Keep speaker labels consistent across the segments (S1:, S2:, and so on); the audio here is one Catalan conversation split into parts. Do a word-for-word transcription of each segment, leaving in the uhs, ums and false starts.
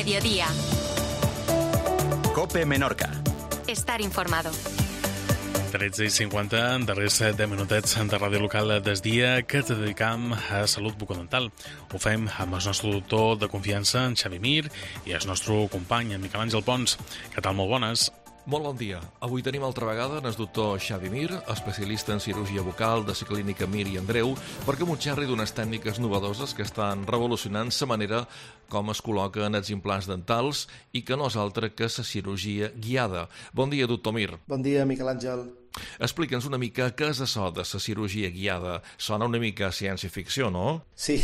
S1: mediodía.
S2: COPE Menorca.
S1: Estar informado.
S3: tretze i cinquanta, darrers deu minutets de ràdio local des dia que ens dedicam a salut bucodental. Ho fem amb el nostre doctor de confiança, en Xavi Mir, i el nostre company, en Miquel Àngel Pons. Què tal? Molt bones.
S4: Molt bon dia. Avui tenim altra vegada el doctor Xavi Mir, especialista en cirurgia bucal de la clínica Mir i Andreu, perquè m'ho xerri d'unes tècniques novedoses que estan revolucionant la manera com es col·loquen els implants dentals i que no és altra que la cirurgia guiada. Bon dia, doctor Mir.
S5: Bon dia, Miquel Àngel.
S4: Explica'ns una mica què és això de la cirurgia guiada. Sona una mica ciència-ficció, no?
S5: Sí,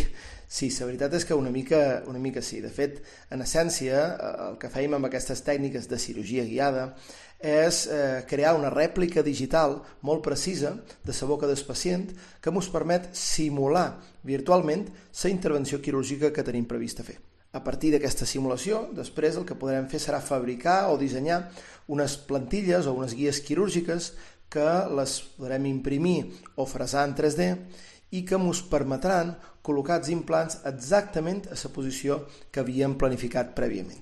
S5: sí, la veritat és que una mica, una mica sí. De fet, en essència, el que fèiem amb aquestes tècniques de cirurgia guiada és eh, crear una rèplica digital molt precisa de la boca del pacient que ens permet simular virtualment la intervenció quirúrgica que tenim prevista fer. A partir d'aquesta simulació, després el que podrem fer serà fabricar o dissenyar unes plantilles o unes guies quirúrgiques que les podrem imprimir o fresar en tres D i que ens permetran col·locar els implants exactament a la posició que havíem planificat prèviament.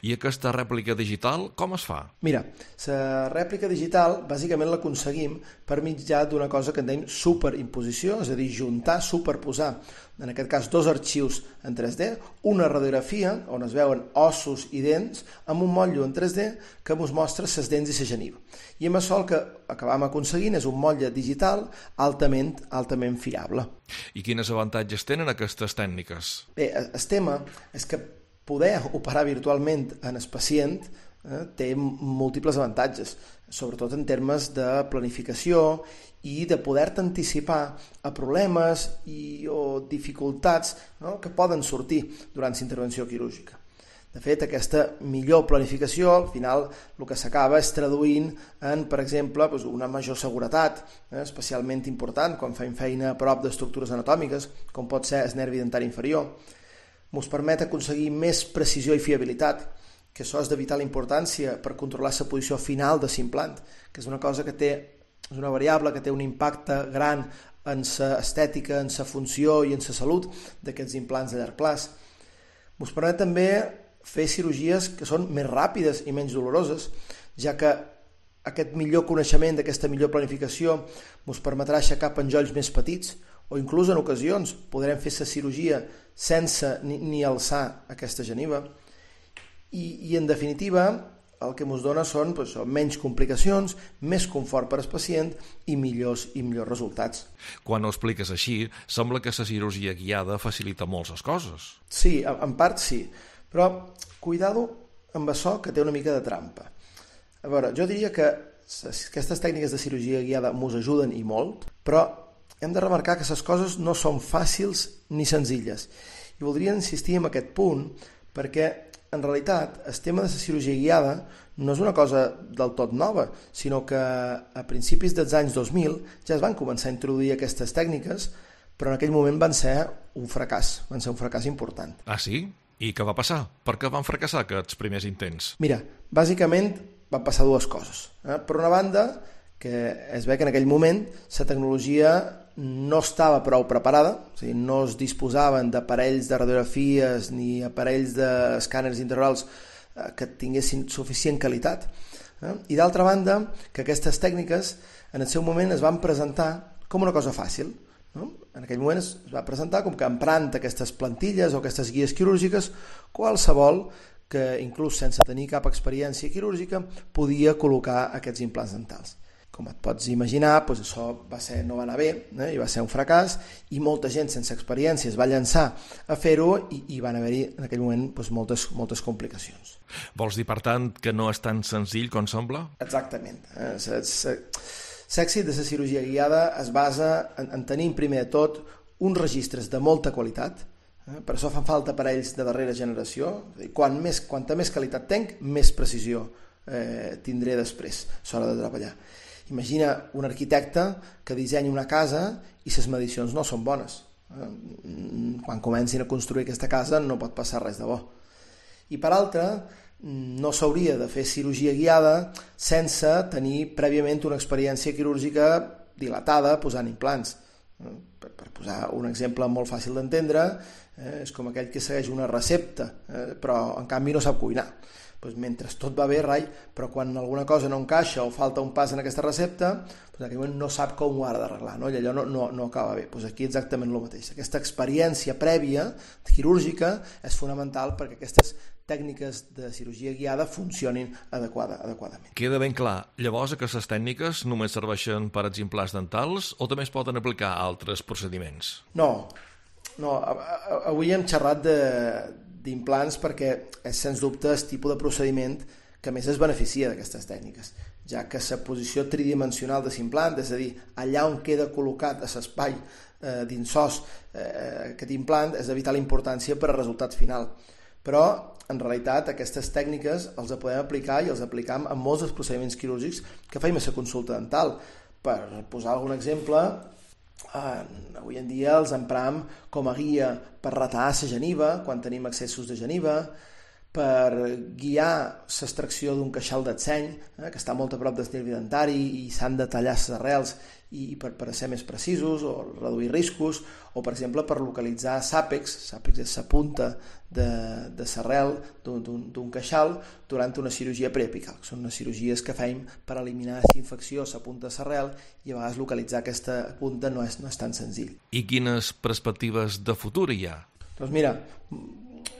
S4: I aquesta rèplica digital, com es fa?
S5: Mira, la rèplica digital bàsicament l'aconseguim per mitjà d'una cosa que en dèiem superimposició, és a dir, juntar, superposar, en aquest cas, dos arxius en tres D, una radiografia on es veuen ossos i dents, amb un motllo en tres D que ens mostra les dents i la geniva. I amb això el que acabam aconseguint és un motlle digital altament, altament fiable.
S4: I quins avantatges tenen aquestes tècniques?
S5: Bé, el tema és que poder operar virtualment en el pacient eh, té múltiples avantatges, sobretot en termes de planificació i de poder-te anticipar a problemes i, o dificultats, no?, que poden sortir durant la intervenció quirúrgica. De fet, aquesta millor planificació, al final, el que s'acaba és traduint en, per exemple, una major seguretat, eh, especialment important quan fem feina a prop d'estructures anatòmiques, com pot ser el nervi dentari inferior. Ens permet aconseguir més precisió i fiabilitat, que això és de vital importància per controlar la posició final de l'implant, que és una cosa que té, és una variable que té un impacte gran en l'estètica, en la funció i en la salut d'aquests implants de llarg plaç. Ens permet també fer cirurgies que són més ràpides i menys doloroses, ja que aquest millor coneixement d'aquesta millor planificació ens permetrà aixecar penjolls més petits, o inclús en ocasions podrem fer la cirurgia sense ni, ni alçar aquesta geniva. I, i en definitiva el que ens dona són pues, menys complicacions, més confort per al pacient i millors i millors resultats.
S4: Quan ho expliques així, sembla que la cirurgia guiada facilita molt les coses.
S5: Sí, en part sí, però cuidado amb això que té una mica de trampa. A veure, jo diria que aquestes tècniques de cirurgia guiada ens ajuden i molt, però hem de remarcar que les coses no són fàcils ni senzilles. I voldria insistir en aquest punt perquè, en realitat, el tema de la cirurgia guiada no és una cosa del tot nova, sinó que a principis dels anys dos mil ja es van començar a introduir aquestes tècniques, però en aquell moment van ser un fracàs, van ser un fracàs important.
S4: Ah, sí? I què va passar? Per què van fracassar aquests primers intents?
S5: Mira, bàsicament van passar dues coses. Eh? Per una banda, que es ve que en aquell moment la tecnologia no estava prou preparada, o sigui, no es disposaven d'aparells de radiografies ni aparells d'escàners intraorals que tinguessin suficient qualitat. Eh? I d'altra banda, que aquestes tècniques en el seu moment es van presentar com una cosa fàcil. No? En aquell moment es va presentar com que emprant aquestes plantilles o aquestes guies quirúrgiques, qualsevol que inclús sense tenir cap experiència quirúrgica podia col·locar aquests implants dentals. Com et pots imaginar, doncs això va ser, no va anar bé, eh? I va ser un fracàs, i molta gent sense experiència es va llançar a fer-ho i, i van haver-hi en aquell moment doncs, moltes, moltes complicacions.
S4: Vols dir, per tant, que no és tan senzill com sembla?
S5: Exactament. Eh? L'èxit de la cirurgia guiada es basa en, en tenir, primer de tot, uns registres de molta qualitat. Eh? Per això fan falta aparells de darrera generació. Quan més, quanta més qualitat tenc, més precisió eh, tindré després a l'hora de treballar. Imagina un arquitecte que dissenya una casa i les medicions no són bones. Quan comencin a construir aquesta casa no pot passar res de bo. I per altra, no s'hauria de fer cirurgia guiada sense tenir prèviament una experiència quirúrgica dilatada posant implants. Per, per posar un exemple molt fàcil d'entendre, eh, és com aquell que segueix una recepta, eh, però en canvi no sap cuinar. Doncs mentre tot va bé, rai, però quan alguna cosa no encaixa o falta un pas en aquesta recepta, doncs en aquell moment no sap com ho ha d'arreglar, no? I allò no, no, no acaba bé. Doncs aquí exactament el mateix. Aquesta experiència prèvia quirúrgica és fonamental perquè aquestes tècniques de cirurgia guiada funcionin adequada, adequadament.
S4: Queda ben clar. Llavors, aquestes tècniques només serveixen per als implants dentals o també es poden aplicar a altres procediments?
S5: No, no. Avui hem xerrat de d'implants perquè és sens dubte el tipus de procediment que més es beneficia d'aquestes tècniques, ja que la posició tridimensional de l'implant, és a dir, allà on queda col·locat a l'espai eh, dins sos eh, aquest implant, és de vital importància per al resultat final. Però, en realitat, aquestes tècniques els podem aplicar i els aplicam en molts dels procediments quirúrgics que feim a la consulta dental. Per posar algun exemple, Uh, avui en dia els empram com a guia per retar la geniva quan tenim excessos de geniva, per guiar l'extracció d'un queixal del seny, eh, que està molt a prop del nervi dentari i s'han de tallar les arrels i, i per, per ser més precisos o reduir riscos, o per exemple per localitzar l'àpex, l'àpex és la punta de, de l'arrel d'un queixal durant una cirurgia preapical, que són unes cirurgies que fem per eliminar la infecció a la punta de l'arrel i a vegades localitzar aquesta punta no és, no és tan senzill.
S4: I quines perspectives de futur hi ha?
S5: Doncs mira,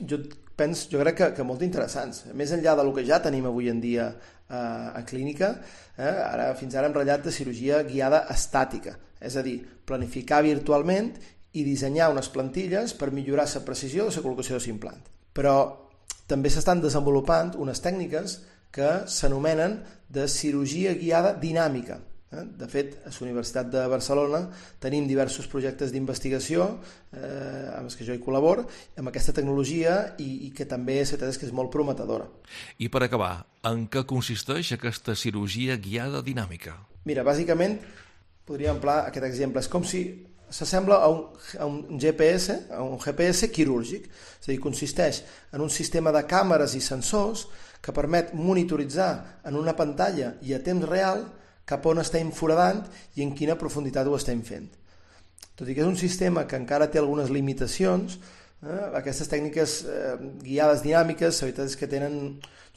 S5: jo penso, jo crec que, que molt interessants. Més enllà del que ja tenim avui en dia eh, a clínica, eh, ara, fins ara hem ratllat de cirurgia guiada estàtica, és a dir, planificar virtualment i dissenyar unes plantilles per millorar la precisió de la col·locació de l'implant. Però també s'estan desenvolupant unes tècniques que s'anomenen de cirurgia guiada dinàmica. De fet, a la Universitat de Barcelona tenim diversos projectes d'investigació eh, amb els que jo hi col·laboro, amb aquesta tecnologia i, i que també és, és que és molt prometedora.
S4: I per acabar, en què consisteix aquesta cirurgia guiada dinàmica?
S5: Mira, bàsicament, podríem emplear aquest exemple. És com si s'assembla a un, a un G P S, a un G P S quirúrgic. És a dir, consisteix en un sistema de càmeres i sensors que permet monitoritzar en una pantalla i a temps real cap on estem foradant i en quina profunditat ho estem fent. Tot i que és un sistema que encara té algunes limitacions, eh, aquestes tècniques eh, guiades dinàmiques, la veritat és que tenen,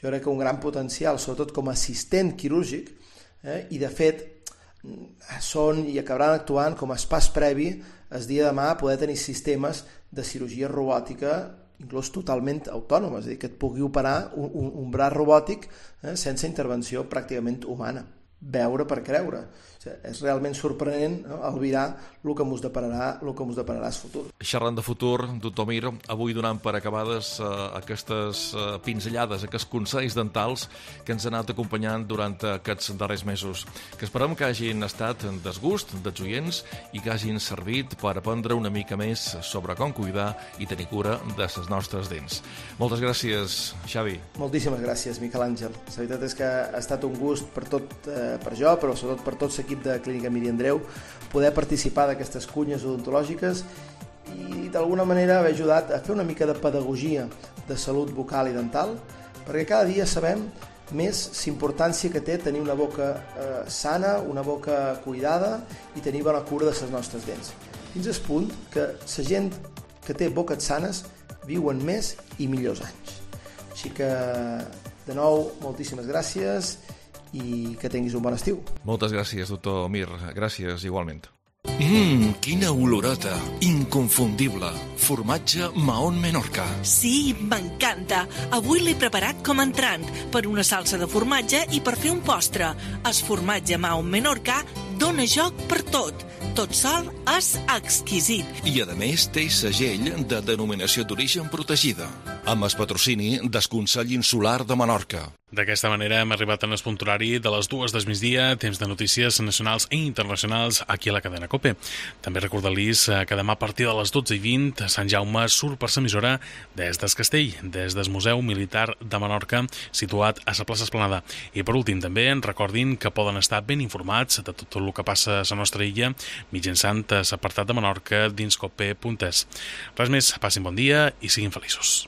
S5: jo crec que un gran potencial, sobretot com a assistent quirúrgic, eh, i de fet són i acabaran actuant com a pas previ el dia de demà a poder tenir sistemes de cirurgia robòtica inclús totalment autònomes, és a dir, que et pugui operar un, un, un braç robòtic eh, sense intervenció pràcticament humana. Veure per creure. O sigui, és realment sorprenent, no?, albirar el que ens depararà, el que ens depararà el futur.
S4: Xerrant de futur, doctor Mir, avui donant per acabades eh, aquestes eh, pinzellades, aquests consells dentals que ens han anat acompanyant durant aquests darrers mesos, que esperem que hagin estat en desgust dels oients i que hagin servit per aprendre una mica més sobre com cuidar i tenir cura de les nostres dents. Moltes gràcies, Xavi.
S5: Moltíssimes gràcies, Miquel Àngel. La veritat és que ha estat un gust per tot, eh, per jo, però sobretot per tot l'equip de Clínica Mir i Andreu, poder participar d'aquestes cunyes odontològiques i d'alguna manera haver ajudat a fer una mica de pedagogia de salut bucal i dental, perquè cada dia sabem més l'importància que té tenir una boca eh, sana, una boca cuidada i tenir bona cura de les nostres dents. Fins al punt que la gent que té boques sanes viuen més i millors anys. Així que, de nou, moltíssimes gràcies i que tinguis un bon estiu.
S4: Moltes gràcies, doctor Mir. Gràcies, igualment.
S1: Mmm, quina olorota! Inconfundible! Formatge Mahón Menorca.
S2: Sí, m'encanta! Avui l'he preparat com a entrant, per una salsa de formatge i per fer un postre. El formatge Mahón Menorca dona joc per tot. Tot sol és exquisit.
S1: I, a més, té segell de denominació d'origen protegida, amb el patrocini del Consell Insular de Menorca.
S3: D'aquesta manera hem arribat en el punt horari de les dues del migdia, temps de notícies nacionals i internacionals aquí a la cadena COPE. També recordar-los que demà a partir de les dotze i vint Sant Jaume surt per l'emissora des del Castell, des del Museu Militar de Menorca, situat a la plaça Esplanada. I per últim també recordin que poden estar ben informats de tot el que passa a la nostra illa mitjançant l'apartat de Menorca dins cope punt es. Res més, passin bon dia i siguin feliços.